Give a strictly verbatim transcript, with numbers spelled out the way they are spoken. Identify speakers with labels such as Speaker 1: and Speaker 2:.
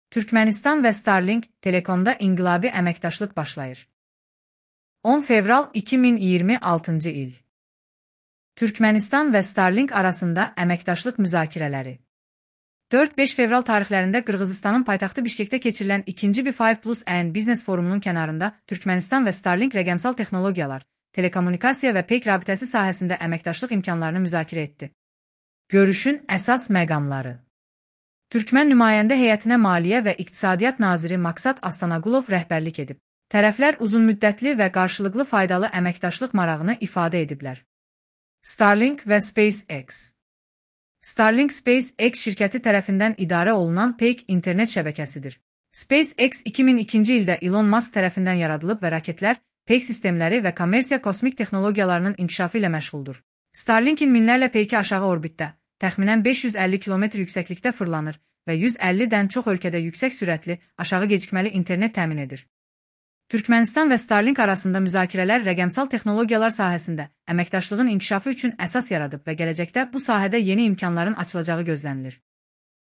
Speaker 1: Türkmenistan və Starlink Telekomda inqilabi əməkdaşlıq başlayır. on fevral iki min iyirmi altıncı il. Türkmenistan və Starlink arasında əməkdaşlıq müzakirələri. dörd beş fevral tarixlərində Qırğızıstanın paytaxtı Bişkekdə keçirilən ikinci B beş plus N biznes forumunun kənarında Türkmenistan və Starlink rəqəmsal texnologiyalar, telekommunikasiya və peyk rabitəsi sahəsində əməkdaşlıq imkanlarını müzakirə etdi. Görüşün əsas məqamları. Türkmen nümayəndə heyətinə Maliyyə və İqtisadiyyat naziri Maksat Astanagulov rəhbərlik edib. Tərəflər uzunmüddətli və qarşılıqlı faydalı əməkdaşlıq marağını ifadə ediblər. Starlink və SpaceX. Starlink SpaceX şirkəti tərəfindən idarə olunan peyk internet şəbəkəsidir. SpaceX iki min ikinci ildə Elon Musk tərəfindən yaradılıb və raketlər, peyk sistemləri və kommersiya kosmik texnologiyalarının inkişafı ilə məşğuldur. Starlinkin minlərlə peyki aşağı orbitdə, təxminən beş yüz əlli kilometr yüksəklikdə fırlanır və yüz əllidən çox ölkədə yüksək sürətli, aşağı gecikməli internet təmin edir. Türkmenistan və Starlink arasında müzakirələr rəqəmsal texnologiyalar sahəsində əməkdaşlığın inkişafı üçün əsas yaradıb və gələcəkdə bu sahədə yeni imkanların açılacağı gözlənilir.